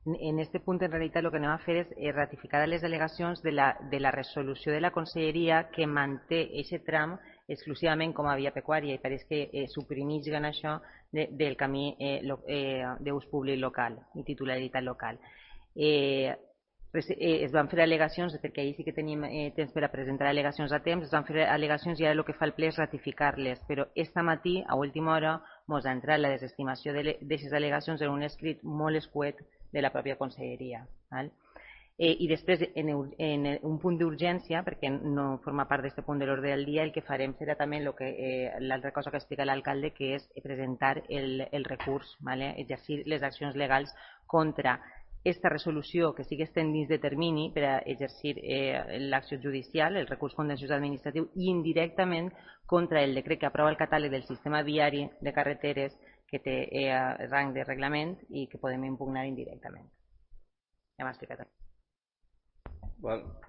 En este punt, en realitat, el que anem a fer és ratificar les al·legacions de la resolució de la Conselleria que manté aquest tram exclusivament com a via pecuària i pareix que suprimeixen això del camí d'ús públic local i titularitat local. Es van fer al·legacions, perquè ahir sí que tenim temps per a presentar al·legacions a temps, es van fer al·legacions i ara el que fa el ple és ratificar-les, però esta matí, a última hora, ens ha entrat la desestimació d'aquestes al·legacions en un escrit molt escuet de la pròpia Conselleria. I després, en un punt d'urgència, perquè no forma part d'aquest punt de l'ordre del dia, el que farem serà també l'altra cosa que explica l'alcalde, que és presentar el recurs, exercir les accions legals contra esta resolució que sí que estem dins de termini per a exercir l'acció judicial, el recurs contenciós administratiu, i indirectament contra el decret que aprova el catàleg del sistema viari de carreteres que té rang de reglament i que podem impugnar indirectament. Ja m'ha explicat. Well,